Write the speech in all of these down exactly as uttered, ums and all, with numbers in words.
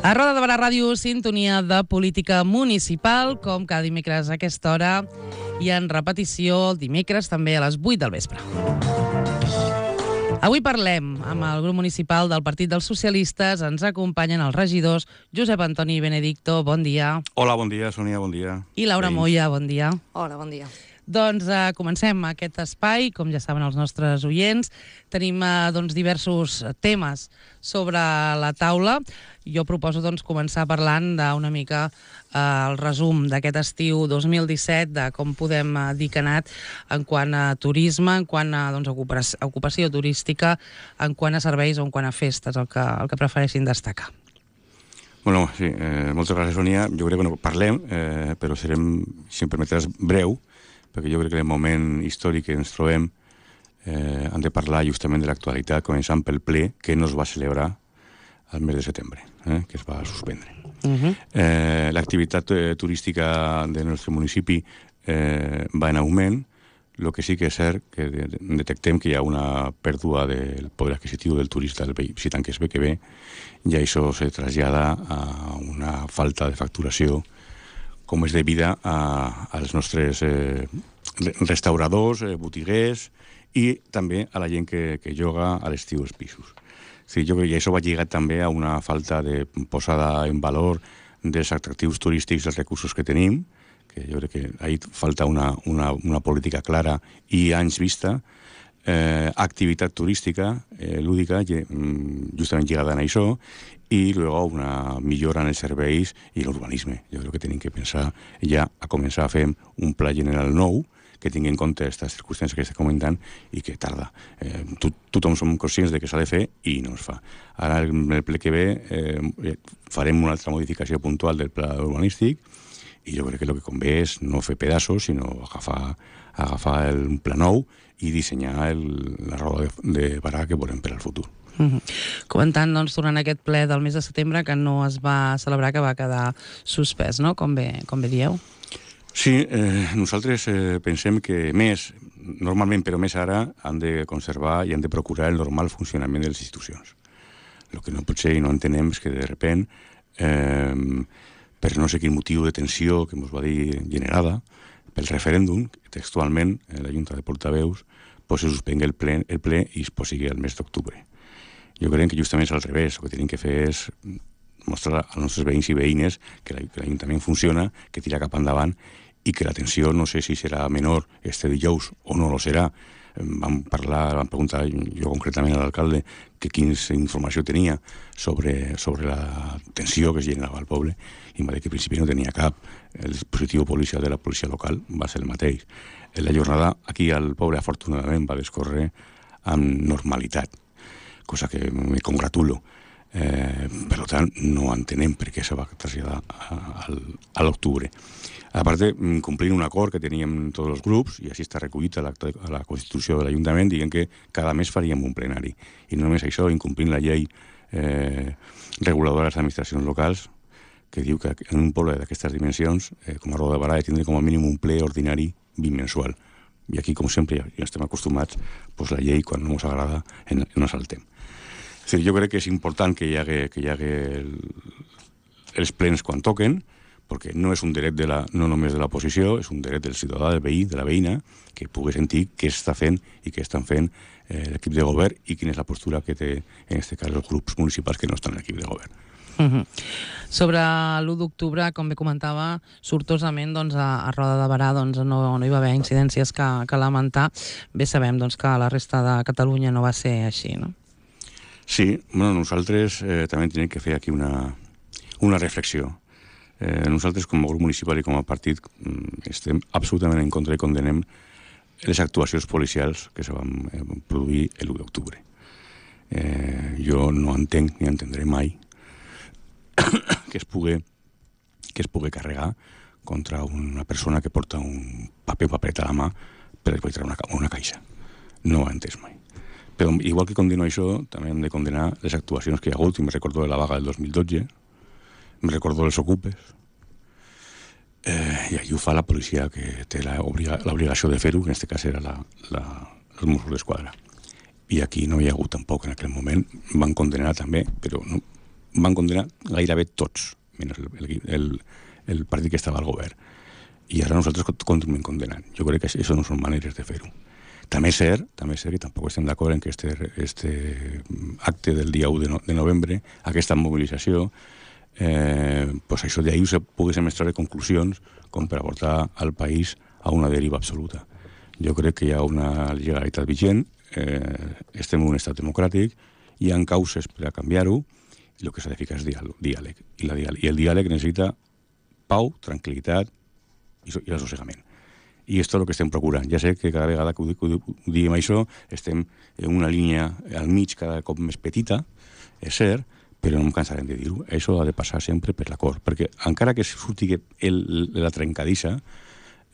A Roda de Barà Ràdio, sintonia de política municipal, com cada dimecres a aquesta hora, i en repetició dimecres també a les vuit del vespre. Avui parlem amb el grup municipal del Partit dels Socialistes. Ens acompanyen els regidors Josep Antoni Benedicto, bon dia. Hola, bon dia, Sònia, bon dia. I Laura Moya, bon dia. Hola, bon dia. Doncs eh, comencem aquest espai, com ja saben els nostres oients. Tenim eh, doncs, diversos temes sobre la taula. Jo proposo doncs, començar parlant d'una mica eh, el resum d'aquest estiu dos mil disset, de com podem eh, dir que ha anat en quant a turisme, en quant a doncs, ocupació, ocupació turística, en quant a serveis o en quant a festes, el que, el que prefereixin destacar. Bueno, sí, eh, moltes gràcies, Sònia. Jo crec que no parlem, eh, però serem, si em permetràs, breu, perquè jo crec que en el moment històric que ens trobem eh, hem de parlar justament de l'actualitat, començant pel ple que no es va celebrar al mes de setembre, eh, que es va suspendre. Uh-huh. eh, L'activitat eh, turística del nostre municipi eh, va en augment. El que sí que és cert que de, de, detectem que hi ha una pèrdua del poder adquisitiu del turista, del visitant que es ve que ve, i això se trasllada a una falta de facturació com és devida a, als nostres eh, restauradors, eh, botiguers i també a la gent que, que lloga a l'estiu els pisos. Sí, jo crec que això va lligat també a una falta de posada en valor dels atractius turístics, dels recursos que tenim, que jo crec que ahí falta una, una, una política clara i anys vista, eh, activitat turística, eh, lúdica, justament lligada a això, i luego una millora en els serveis i l'urbanisme. Jo crec que tenim que pensar ja a començar a fer un pla general nou que tingui en compte aquestes circumstàncies que estic comentant i que tarda. Eh, tot, tothom som conscients de que s'ha de fer i no es fa. Ara, el, el ple que ve, eh, farem una altra modificació puntual del pla urbanístic i jo crec que el que convé és no fer pedaços, sinó agafar, agafar el, un pla nou i dissenyar el, la roda de, de Barà que volem per al futur. Uh-huh. Comentant, doncs, durant aquest ple del mes de setembre que no es va celebrar, que va quedar suspès, no? Com bé, com bé dieu. Sí, eh, nosaltres eh, pensem que més, normalment, però més ara, han de conservar i han de procurar el normal funcionament de les institucions. El que no pot ser i no entenem és que de repent, eh, per no sé quin motiu de tensió que ens va dir generada, pel referèndum, textualment, eh, la Junta de Portaveus, pues, se suspengui el ple, el ple i es posigui el mes d'octubre. Jo crec que justament és al revés. El que tenim que fer és mostrar als nostres veïns i veïnes que l'Ajuntament funciona, que tira cap endavant i que la tensió no sé si serà menor este dijous o no lo serà. Vam parlar, vam preguntar jo concretament a l'alcalde que quina informació tenia sobre, sobre la tensió que es generava al poble i em va dir que al principi no tenia cap. El dispositiu policial de la policia local va ser el mateix. La jornada aquí al poble afortunadament va descórrer amb normalitat, cosa que me congratulo. Eh, per tant, no entenem per què se va traslladar a, a, a l'octubre. A part, complint un acord que teníem tots els grups, i així està recollit a la, a la Constitució de l'Ajuntament, dient que cada mes faríem un plenari. I no només això, incomplint la llei eh, reguladora de les administracions locals, que diu que en un poble d'aquestes dimensions, eh, com a Roda de Barà, ha de tindre com a mínim un ple ordinari bimensual. I aquí, com sempre, ja estem acostumats, pues la llei, quan no ens agrada, en, no saltem. És a dir, jo crec que és important que hi hagi, que hi hagi el, els plens quan toquen, perquè no és un dret de la, no només de l'oposició, és un dret del ciutadà, del veí, de la veïna, que pugui sentir què està fent i què estan fent eh, l'equip de govern i quina és la postura que té, en aquest cas, els grups municipals que no estan en l'equip de govern. Uh-huh. Sobre l'u d'octubre, com bé comentava, sortosament doncs, a, a Roda de Barà doncs, no, no hi va haver incidències que, que lamentar. Bé sabem doncs, que a la resta de Catalunya no va ser així, no? Sí, bueno, nosaltres eh, també tenim que fer aquí una, una reflexió. Eh, nosaltres, com a grup municipal i com a partit, estem absolutament en contra i condenem les actuacions policials que se van eh, produir l'u d'octubre. Eh, jo no entenc ni entendré mai que es pugui, que es pugui carregar contra una persona que porta un paper o paperet a la mà per després treure una, una caixa. No ho he entès mai. Però igual que condeno això, també hem de condenar les actuacions que hi ha hagut, i me recordo de la vaga del dos mil dotze, me recordo dels ocupes, eh, i allí ho fa la policia que té l'obligació de fer-ho, que en aquest cas era la, la, els Mossos d'Esquadra. I aquí no hi ha hagut tampoc en aquell moment, van condenar també, però no, van condenar gairebé tots, menys el, el, el, el partit que estava al govern. I ara nosaltres continuem condenant. Jo crec que això no són maneres de fer-ho. També és cert, també és cert que tampoc estem d'acord en que este, este acte del dia u de, no, de novembre, aquesta mobilització, eh, pues això d'ahir se poguessin extraure conclusions com per aportar al país a una deriva absoluta. Jo crec que hi ha una legalitat vigent, eh, estem en un estat democràtic, hi ha causes per a canviar-ho, i el que s'ha de ficar és diàleg. I, la diàleg. I el diàleg necessita pau, tranquil·litat i, i assossegament. I això és el que estem procurant. Ja sé que cada vegada que ho, que ho diem això estem en una línia al mig cada cop més petita, és cert, però no em cansarem de dir-ho. Això ha de passar sempre per l'acord, perquè encara que surti el, la trencadissa,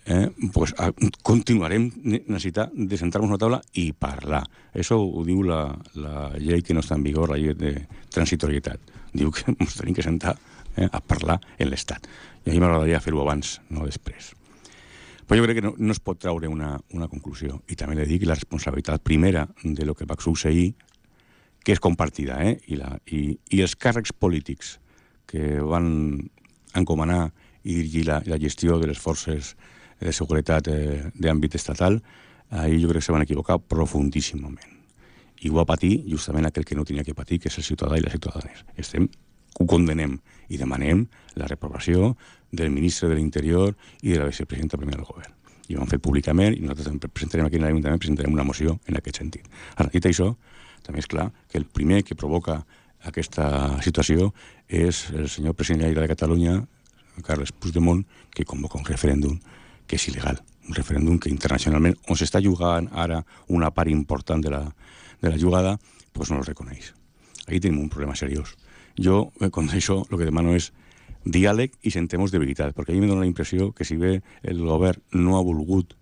eh, pues, a, continuarem necessitant de sentar-nos a una taula i parlar. Això ho diu la, la llei que no està en vigor, la llei de transitorietat. Diu que ens tenim que sentar eh, a parlar en l'Estat. I a mi m'agradaria fer-ho abans, no després. Però jo crec que no, no es pot treure una, una conclusió. I també li dic que la responsabilitat primera de lo que va succeir, que és compartida, eh? I, la, i, i els càrrecs polítics que van encomanar i dirigir la, la gestió de les forces de seguretat eh, d'àmbit estatal, ahir jo crec que se van equivocar profundíssimament. I ho va patir justament aquell que no tenia que patir, que és el ciutadà i les ciutadanes. Estem, ho condenem i demanem la reprovació del ministre de l'Interior i de la vicepresidenta primera del govern. I ho han fet públicament i nosaltres presentarem aquí en l'Ajuntament presentarem una moció en aquest sentit. Ara, dit això, també és clar que el primer que provoca aquesta situació és el senyor president de Catalunya, Carles Puigdemont, que convoca un referèndum que és il·legal. Un referèndum que internacionalment, on s'està jugant ara una part important de la, de la jugada, doncs no el reconeix. Aquí tenim un problema seriós. Jo, con això, el que demano és diàleg i sentemos de veritat, perquè a mi me dona la impressió que si bé el govern no ha volgut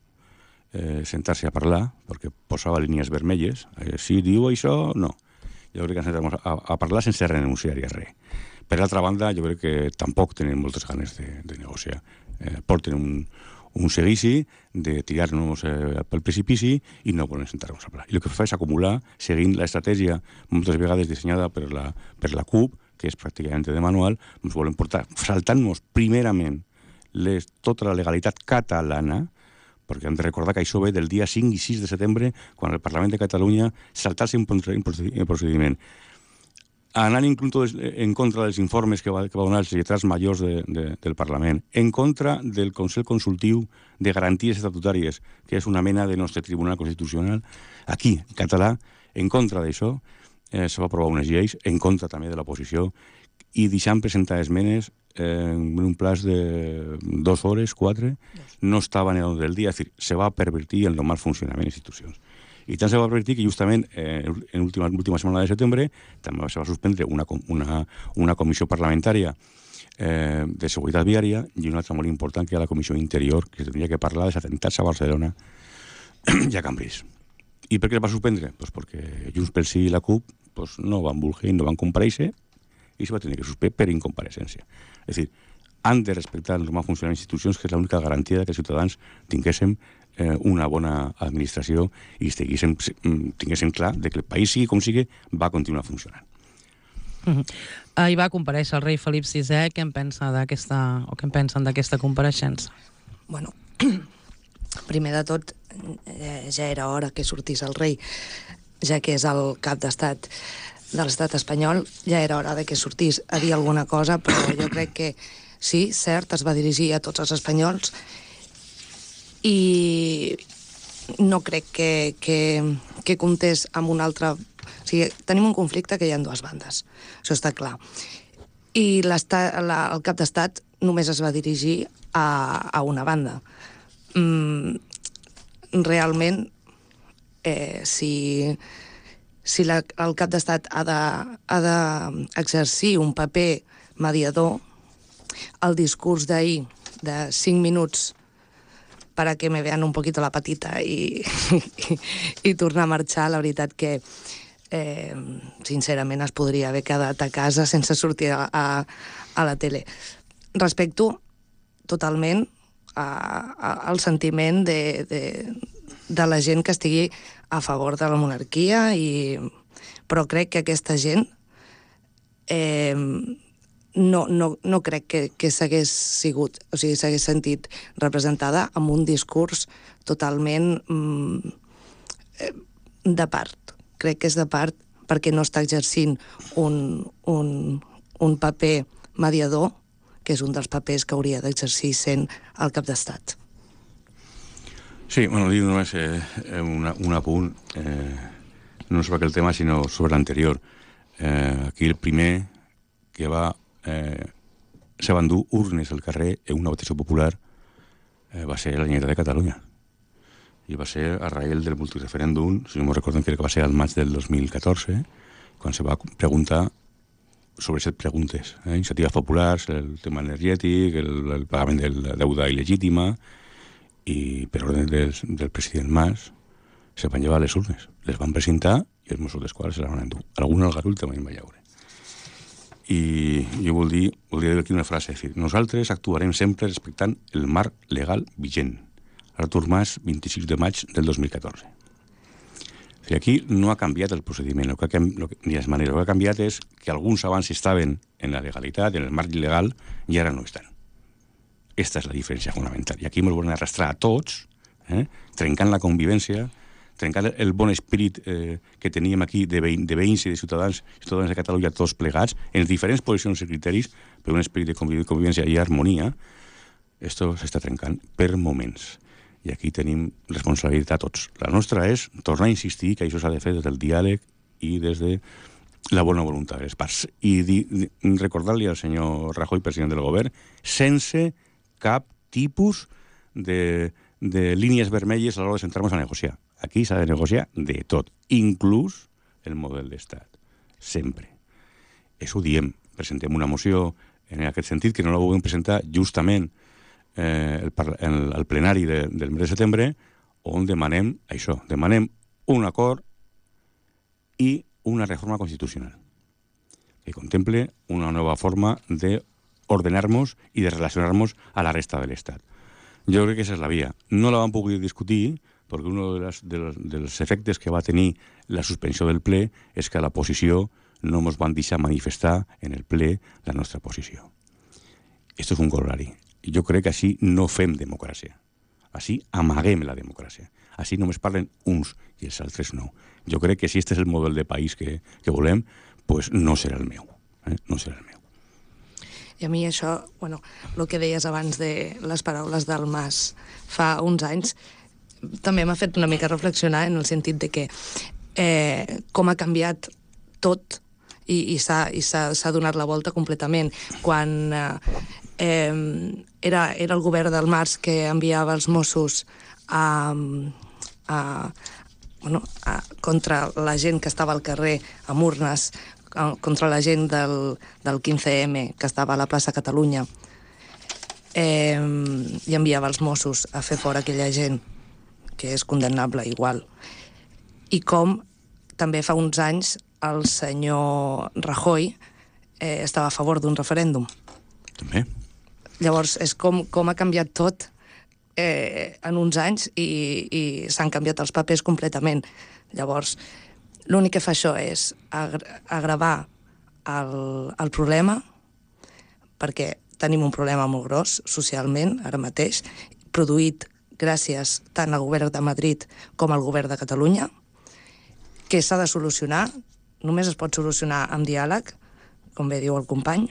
eh, sentar-se a parlar, perquè posava línies vermelles, eh, si diu això, no. Jo crec que ens sentarem a, a parlar sense renunciar-hi a res. Per altra banda, jo crec que tampoc tenen moltes ganes de, de negociar. Eh, porten un, un seguici de tirar-nos eh, pel precipici i no volen sentar-nos a parlar. I el que fa és acumular, seguint l'estratègia moltes vegades dissenyada per la, per la C U P, que és pràcticament de manual, ens volen portar, saltant-nos primerament les, tota la legalitat catalana, perquè hem de recordar que això ve del dia cinc i sis de setembre, quan el Parlament de Catalunya saltar-se un procediment. Anant inclús en contra dels informes que va, que va donar els lletrats majors de, de, del Parlament, en contra del Consell Consultiu de Garanties Estatutàries, que és una mena de nostre Tribunal Constitucional, aquí, en català, en contra d'això, eh, se va aprovar unes lleis, en contra també de l'oposició, i deixant presentar esmenes eh, en un plaç de dues hores, quatre, no estaven en l'ordre del dia, és a dir, se va pervertir el normal funcionament de les institucions. I tant se va pervertir que justament eh, en l'última última setmana de setembre també se va suspendre una, una, una comissió parlamentària eh, de seguretat viària i una altra molt important que era la comissió interior, que tenia que parlar dels atemptats a Barcelona i a Cambrils. I per què la va suspendre? Pues perquè Junts pel Sí i la C U P pues, no van voler i no van comparèixer i se va tenir que suspendre per incompareixença. És a dir, han de respectar el normal funcionament de les institucions, que és l'única garantia que els ciutadans tinguéssim eh, una bona administració i tinguéssim, tinguéssim clar de que el país, sigui com sigui, va continuar funcionant. Uh-huh. Ahir va comparèixer el rei Felip sisè. Què en pensa d'aquesta, o què en pensen d'aquesta compareixença? Bueno, primer de tot, eh, ja era hora que sortís el rei, ja que és el cap d'estat de l'estat espanyol, ja era hora de que sortís a dir alguna cosa, però jo crec que sí, cert, es va dirigir a tots els espanyols i no crec que, que, que comptés amb un altre... O sigui, tenim un conflicte que hi ha dues bandes, això està clar. I la, el cap d'estat només es va dirigir a, a una banda. Mm, realment, eh, si, si la, el cap d'estat ha d'exercir un paper mediador, el discurs d'ahir de cinc minuts para que me vean un poquito la patita i, i, i tornar a marxar, la veritat que eh, sincerament es podria haver quedat a casa sense sortir a, a, a la tele. Respecto totalment a, a, al sentiment de, de, de la gent que estigui a favor de la monarquia, i, però crec que aquesta gent eh, no, no, no crec que, que s'hagués sigut, o sigui, s'hagués sentit representada amb un discurs totalment mm, de part. Crec que és de part perquè no està exercint un, un, un paper mediador, que és un dels papers que hauria d'exercir sent el cap d'estat. Sí, bueno, dic només eh, una, un apunt, eh, no sobre aquell tema, sinó sobre l'anterior. Eh, aquí el primer que va eh, se van dur urnes al carrer en una votació popular eh, va ser la Generalitat de Catalunya. I va ser a raïl del multireferèndum, si no me recorden, crec que va ser al maig del dos mil catorze, quan se va preguntar sobre set preguntes, eh? Iniciatives populars, el tema energètic, el, el pagament de la deuda il·legítima, i per ordre del, del president Mas se van llevar les urnes, les van presentar i els Mossos d'Esquadra se les van endur. Algun al garull també en va llaure. I jo vol dir, vol dir aquí una frase, és dir, nosaltres actuarem sempre respectant el marc legal vigent. Artur Mas, vint-i-sis de maig del dos mil catorze. O sigui, aquí no ha canviat el procediment, el que ha, lo que, ni les maneres. El que ha canviat és que alguns abans estaven en la legalitat, en el marc legal, i ara no estan. Esta és la diferència fonamental. I aquí ens volen arrastrar a tots, eh, trencant la convivència, trencant el bon espírit eh, que teníem aquí de, veïn, de veïns i de ciutadans, ciutadans de Catalunya tots plegats, en diferents posicions i criteris, per un espírit de convivència i harmonia. Esto s'està trencant per moments. I aquí tenim responsabilitat tots. La nostra és tornar a insistir que això s'ha de fer des del diàleg i des de la bona voluntat de les parts. I di, di, recordar-li al senyor Rajoy, president del govern, sense cap tipus de, de línies vermelles a l'hora de sentar-nos a negociar. Aquí s'ha de negociar de tot, inclús el model d'estat. Sempre. Això ho diem. Presentem una moció en aquest sentit que no la volem presentar justament eh, el, el, el plenari de, del mes de setembre, on demanem això, demanem un acord i una reforma constitucional que contemple una nova forma de ordenar-nos i de relacionar-nos a la resta de l'Estat. Jo crec que aquesta és la via. No la vam poder discutir perquè un de les, de les, dels efectes que va tenir la suspensió del ple és que a la posició no ens van deixar manifestar en el ple la nostra posició. Esto és un corolari. Jo crec que així no fem democràcia. Així amaguem la democràcia. Així només parlen uns i els altres no. Jo crec que si aquest és el model de país que, que volem, pues no serà el meu. Eh? No serà el meu. I a mi això, bueno, el que deies abans de les paraules del Mas fa uns anys, també m'ha fet una mica reflexionar en el sentit de que eh, com ha canviat tot i, i s'ha donat la volta completament. Quan eh, eh, era, era el govern del Mas que enviava els Mossos a, a, bueno, a, contra la gent que estava al carrer amb urnes, contra la gent del, del quinze eme que estava a la plaça Catalunya, eh, i enviava els Mossos a fer fora aquella gent, que és condemnable igual. I com també fa uns anys el senyor Rajoy eh, estava a favor d'un referèndum. També. Llavors, és com, com ha canviat tot eh, en uns anys i, i s'han canviat els papers completament. Llavors, l'únic que fa això és agravar el, el problema, perquè tenim un problema molt gros socialment ara mateix, produït gràcies tant al govern de Madrid com al govern de Catalunya, que s'ha de solucionar, només es pot solucionar amb diàleg, com bé diu el company,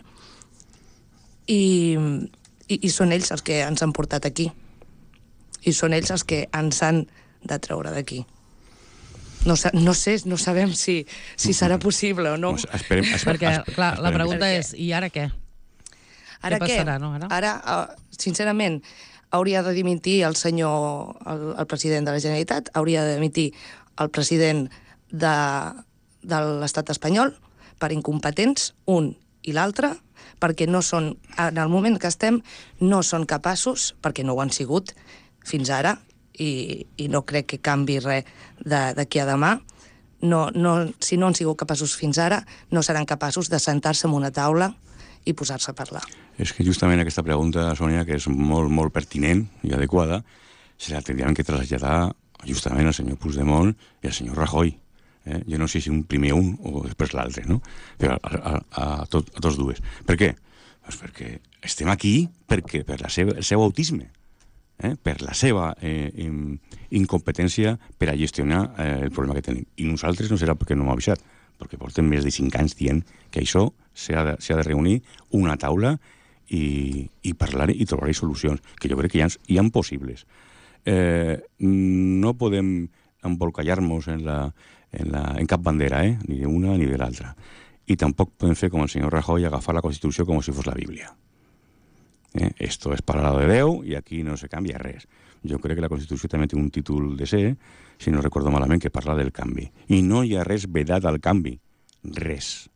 i, i, i són ells els que ens han portat aquí. I són ells els que ens han de treure d'aquí. No, no sé, no sabem si, si serà possible o no. Esperem, esperem, Perquè, esperem, clar, la esperem. pregunta és, i ara què? Ara què passarà, no, ara? Ara, uh, sincerament, hauria de dimitir el senyor, el, el president de la Generalitat, hauria de dimitir el president de, de l'estat espanyol per incompetents, un i l'altre, perquè no són, en el moment que estem, no són capaços, perquè no ho han sigut fins ara, i, i no crec que canvi res d'aquí a demà, no, no, si no han sigut capaços fins ara, no seran capaços de sentar-se en una taula i posar-se a parlar. És que justament aquesta pregunta, Sònia, que és molt, molt pertinent i adequada, se la tindríem que traslladar justament al senyor Puigdemont i al senyor Rajoy. Eh? Jo no sé si un primer un o després l'altre, no? Però a, a, a, tot, a tots dues. Per què? Pues perquè estem aquí perquè per la seva, el seu autisme, eh? per la seva eh, in, incompetència per a gestionar eh, el problema que tenim. I nosaltres no serà perquè no m'ha avisat, perquè portem més de cinc anys dient que això s'ha de, s'ha de reunir una taula i, i parlar i trobar solucions, que jo crec que hi ha, hi ha possibles. Eh, no podem embolcallar-nos en la En, la, en cap bandera, eh? Ni de una ni de l'altra. I tampoc podem fer com el senyor Rajoy, agafar la Constitució com si fos la Bíblia. Eh? Esto es palabra de Déu i aquí no se canvia res. Jo crec que la Constitució també té un títol de ser, si no recordo malament, que parla del canvi. I no hi ha res vedat al canvi. Res.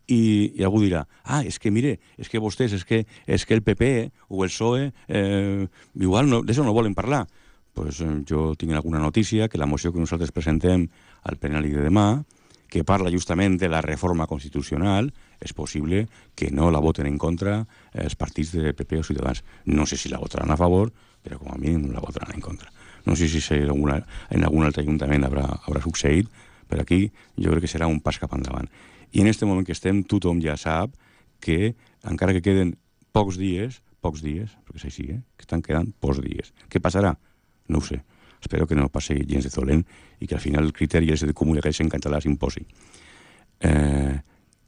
I, i algú dirà, ah, és que mire, és que vostès, és que, és que el P P o el P S O E eh, igual no, d'això no volen parlar. Pues, eh, jo tinc alguna notícia que la moció que nosaltres presentem al plenari de demà, que parla justament de la reforma constitucional, és possible que no la voten en contra els partits de P P o Ciutadans. No sé si la votaran a favor, però com a mínim la votaran en contra. No sé si en algun, en algun altre ajuntament haurà, haurà succeït, però aquí jo crec que serà un pas cap endavant. I en aquest moment que estem, tothom ja sap que, encara que queden pocs dies, pocs dies, perquè és així, eh? que estan quedant pocs dies. Què passarà? No ho sé. Espero que no passi gens de dolent i que al final el criteri és de comú que en català s'imposi. Eh,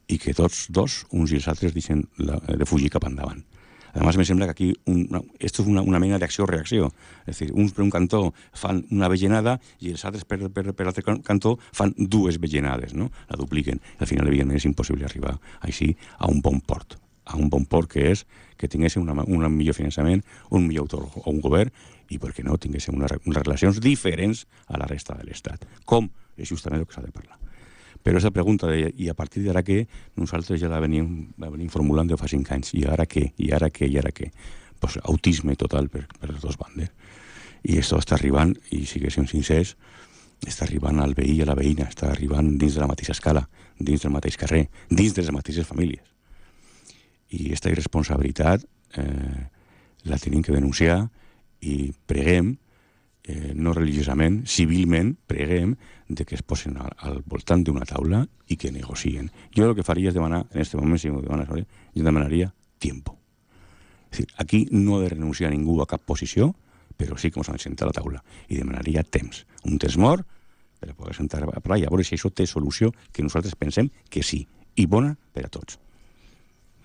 I que tots dos, uns i els altres, deixen la, de fugir cap endavant. A més, me sembla que aquí una, esto és una, una mena d'acció-reacció. És a dir, uns per un cantó fan una vellenada i els altres per, per, per l'altre cantó fan dues vellenades, no? La dupliquen. Al final, evidentment, és impossible arribar així a un bon port. A un bon port que és que tinguéssim una, un millor finançament, un millor autor o un govern i, per què no, tinguéssim unes, unes relacions diferents a la resta de l'Estat. Com? És justament el que s'ha de parlar. Però aquesta pregunta, de, i a partir d'ara què, nosaltres ja la venim, la venim formulant de fa cinc anys. I ara què? I ara què? I ara què? Pues autisme total per, per les dues bandes. I això està arribant, i siguéssim sincers, està arribant al veí i a la veïna, està arribant dins de la mateixa escala, dins del mateix carrer, dins de les mateixes famílies. I aquesta irresponsabilitat eh, la tenim que denunciar i preguem, eh, no religiosament, civilment, preguem de que es posen al, al voltant d'una taula i que negocien. Jo el que faria és demanar, en aquest moment, si m'ho demanes, ¿vale? Jo demanaria tiempo. És dir, aquí no ha de renunciar ningú a cap posició, però sí que ens han de sentar a la taula. I demanaria temps. Un temps mort per a poder sentar a parlar i a veure si això té solució, que nosaltres pensem que sí. I bona per a tots.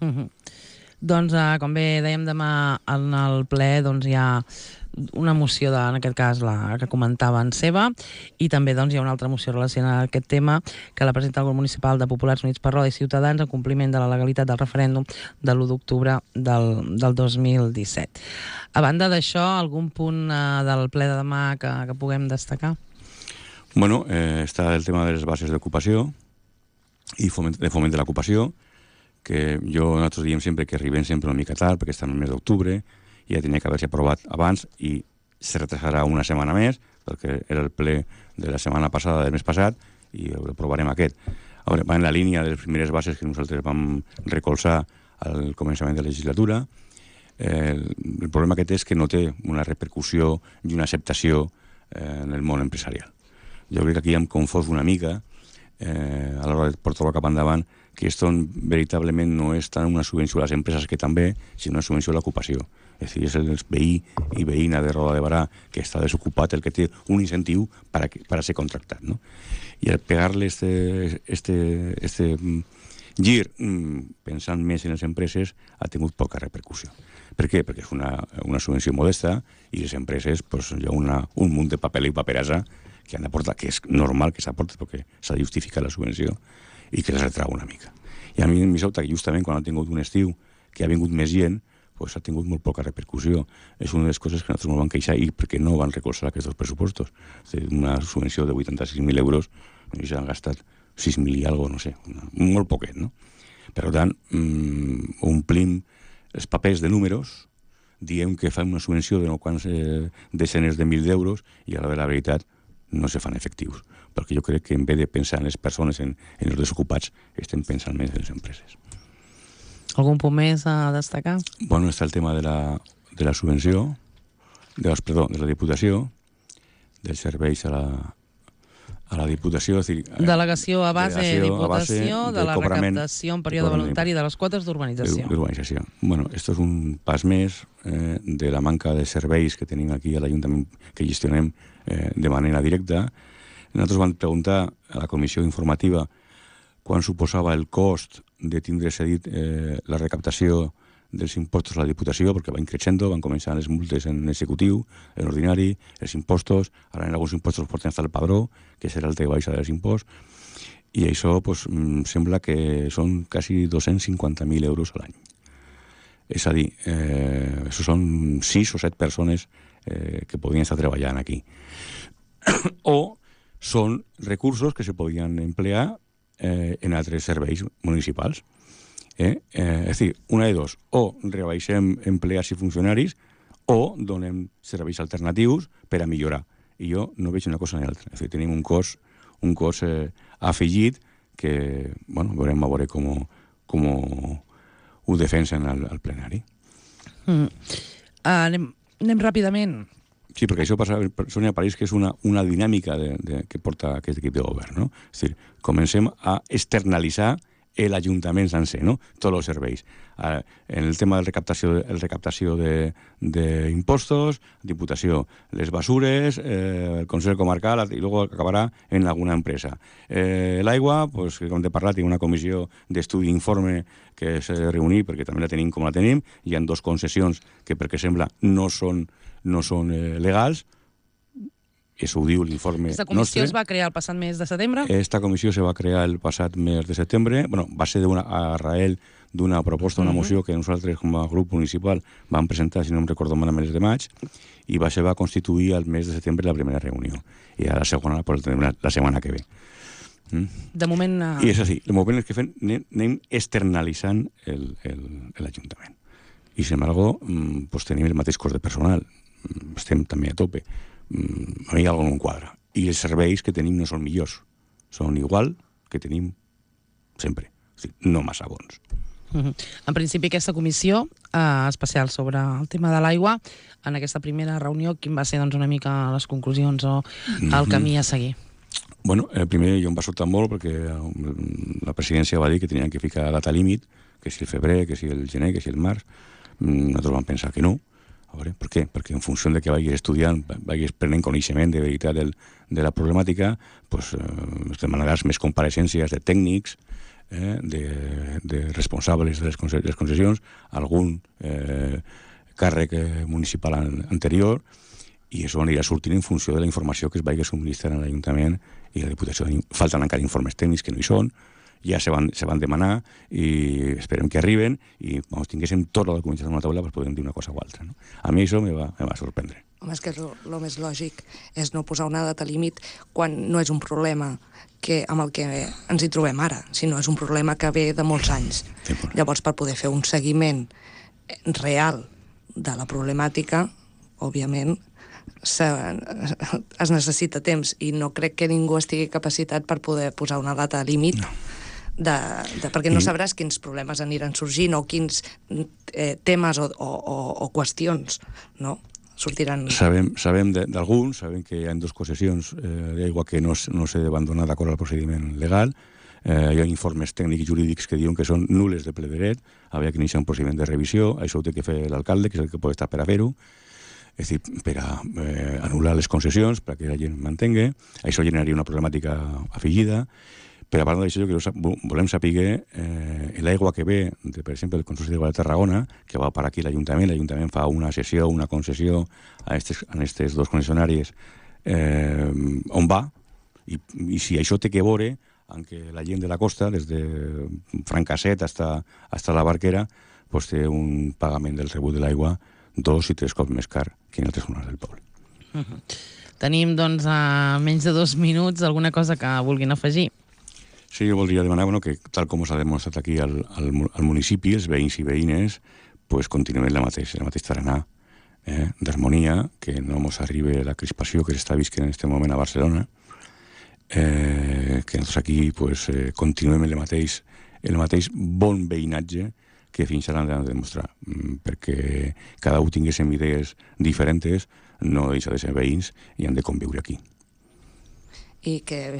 Mm-hmm. Doncs, eh, com bé dèiem, demà en el ple doncs, hi ha una moció, de, en aquest cas la que comentava en Seva, i també doncs, hi ha una altra moció relacionada a aquest tema que la presenta el grup municipal de Populars Units per Roda i Ciutadans en compliment de la legalitat del referèndum de l'u d'octubre del, del dos mil disset. A banda d'això, algun punt eh, del ple de demà que, que puguem destacar? Bueno, eh, està el tema de les bases d'ocupació i foment, de foment de l'ocupació, que jo, nosaltres diem sempre que arribem sempre una mica tard, perquè està en el mes d'octubre, i ja tenia que haver-se aprovat abans, i se retrasarà una setmana més, perquè era el ple de la setmana passada, del mes passat, i ho aprovarem aquest. Ara, va en la línia de les primeres bases que nosaltres vam recolzar al començament de la legislatura. Eh, el problema que té és que no té una repercussió i una acceptació eh, en el món empresarial. Jo crec que aquí hem confós una mica, eh, a l'hora de portar-ho cap endavant, que esto veritablement no és tant una subvenció a les empreses, que també, sinó una subvenció a l'ocupació. És a dir, és el veí i veïna de Roda de Barà que està desocupat el que té un incentiu per a, per a ser contractat, no? I al pegar-li este, este, este gir pensant més en les empreses ha tingut poca repercussió. Per què? Perquè és una, una subvenció modesta i les empreses pues, hi ha una, un munt de paper i paperassa que han d'aportar, que és normal que s'aporti perquè s'ha de justificar la subvenció i que les retrau una mica. I a mi em sobta que justament quan ha tingut un estiu que ha vingut més gent, pues ha tingut molt poca repercussió. És una de les coses que nosaltres ens van queixar i perquè no van recolzar aquests dos pressupostos. Una subvenció de vuitanta-sis mil euros i s'han gastat sis mil i algo, no sé, una, molt poquet, no? Per tant, mmm, omplim els papers de números, diem que fan una subvenció de no quants eh, desenes de mil d'euros i a la de la veritat no se fan efectius, perquè jo crec que en vez de pensar en les persones, en, en els desocupats, estem pensant més en les empreses. Algun punt més a destacar? Bueno, està el tema de la, de la subvenció, de, perdó, de la Diputació, dels serveis a la, a la Diputació. És dir, delegació a base, delegació diputació, a base de, de la recaptació en període voluntari de les quotes d'urbanització. D'urbanització. Bueno, esto és un pas més eh, de la manca de serveis que tenim aquí a l'Ajuntament, que gestionem eh, de manera directa. Nosaltres vam preguntar a la comissió informativa quan suposava el cost de tindre cedit eh, la recaptació dels impostos a la Diputació, perquè van creixent, van començar les multes en executiu, en ordinari, els impostos, ara en alguns impostos porten hasta el padró, que serà el que baixa dels imposts, i això pues, sembla que són quasi dos-cents cinquanta mil euros a l'any. És a dir, eh, això són sis o set persones eh, que podrien estar treballant aquí. O són recursos que se podien emplear eh, en altres serveis municipals. Eh? Eh, és a dir, una de dos, o rebaixem empleats i funcionaris o donem serveis alternatius per a millorar. I jo no veig una cosa ni l'altra. És a dir, tenim un cos, un cos eh, afegit que, bueno, veurem a veure com, com ho defensen al, al plenari. Mm. Uh, anem, anem ràpidament. Sí, perquè això passa, Sònia París, que és una, una dinàmica de, de, que porta aquest equip de govern, no? És a dir, comencem a externalitzar l'Ajuntament sencer, no? Tots els serveis. Eh, en el tema de recaptació, el recaptació d'impostos, Diputació, les basures, eh, el Consell Comarcal, i luego acabarà en alguna empresa. Eh, L'aigua, pues, com he parlat, hi ha una comissió d'estudi d'informe que s'ha de reunir, perquè també la tenim com la tenim. Hi ha dos concessions que, perquè sembla, no són, no són eh, legals. Eso ho diu l'informe nostre. Aquesta comissió es va crear el passat mes de setembre? Esta comissió se va crear el passat mes de setembre. Bueno, va ser una, a rael d'una proposta, una uh -huh. moció que nosaltres com a grup municipal vam presentar, si no em recordo mal, a mes de maig, i va, se va constituir al mes de setembre la primera reunió. I ara la segona pues, la, la setmana que ve. Mm? De moment... Uh... I és així. El moment és que fem, anem externalitzant l'Ajuntament. I, sin embargo, pues, tenim el mateix cost de personal. Estem també a tope. A mi alguna no quadra. I els serveis que tenim no són millors. Són igual que tenim sempre. O sigui, no massa bons. Uh-huh. En principi, aquesta comissió eh, especial sobre el tema de l'aigua, en aquesta primera reunió, quin va ser doncs, una mica les conclusions o el camí a seguir? Bueno, eh, primer jo em va sobtar molt perquè la presidència va dir que tenien que ficar data límit, que si el febrer, que si el gener, que si el març. Nosaltres vam pensar que no. A veure, per què? Perquè en funció de que vagis estudiant, vagis prenent coneixement de veritat del, de la problemàtica, pues, eh, demanaràs més compareixencies de tècnics, eh, de, de responsables de les, conce les concessions, algun eh, càrrec eh, municipal an anterior, i això anirà sortint en funció de la informació que es vagi subministrant a l'Ajuntament i a la Diputació. Falten encara informes tècnics que no hi són, ja se van, se van demanar i esperem que arriben i quan tinguéssim tota la documentació en una taula pues podem dir una cosa o altra. No? A mi això me va, me va sorprendre. Home, és que el més lògic és no posar una data límit quan no és un problema que, amb el que ens hi trobem ara, sinó és un problema que ve de molts anys. Sí, bueno. Llavors, per poder fer un seguiment real de la problemàtica, òbviament, Se, es necessita temps i no crec que ningú estigui capacitat per poder posar una data límit no. de, de, perquè no sabràs quins problemes aniran sorgint o quins eh, temes o, o, o, o qüestions no? sortiran. Sabem, sabem d'alguns, sabem que hi ha dues concessions eh, d'aigua que no, no s'ha d'abandonar d'acord al procediment legal. Eh, hi ha informes tècnics i jurídics que diuen que són nules de ple dret, havia que iniciar un procediment de revisió, això ho té que fer l'alcalde, que és el que pot estar per a fer-ho. És a dir, per a eh, anul·lar les concessions, perquè la gent mantengui. Això generaria una problemàtica afegida. Per a part d'això, que volem saber eh, l'aigua que ve, de, per exemple, del Consorci d'Aigua de Tarragona, que va per aquí l'Ajuntament, l'Ajuntament fa una cessió, una concessió a aquestes dos concessionàries, eh, on va, i, i si això té que veure amb que la gent de la costa, des de Francasset hasta, hasta la Barquera, pues, té un pagament del rebut de l'aigua dos i tres cops més car que en altres zones del poble. Uh -huh. Tenim, doncs, a menys de dos minuts alguna cosa que vulguin afegir. Sí, jo voldria demanar bueno, que, tal com s'ha demostrat aquí al, al, al municipi, els veïns i veïnes, pues, continuem la mateixa, la mateixa tarannà eh, d'harmonia, que no ens arribi la crispació que s'està visquent en aquest moment a Barcelona, eh, que nosaltres aquí pues, eh, continuem el mateix, el mateix bon veïnatge que fins ara han de demostrar, perquè cada un tinguéssim idees diferents, no deixa de ser veïns i han de conviure aquí. i que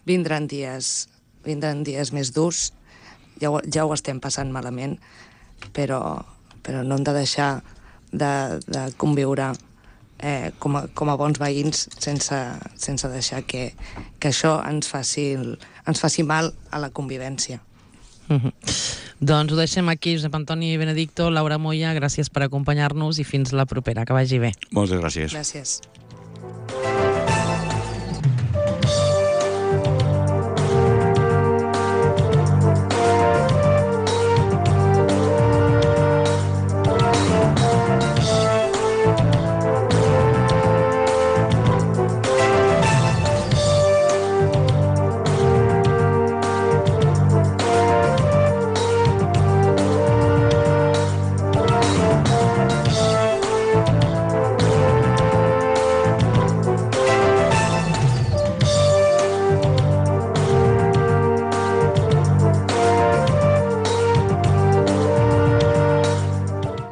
vindran dies, vindran dies més durs. Ja ho, ja ho estem passant malament, però, però no hem de deixar de, de conviure eh, com, a, com a bons veïns sense, sense deixar que, que això ens faci, ens faci mal a la convivència. Mm-hmm. Doncs ho deixem aquí. Josep Antoni Benedicto, Laura Moya, gràcies per acompanyar-nos i fins la propera. Que vagi bé. Moltes gràcies. Gràcies.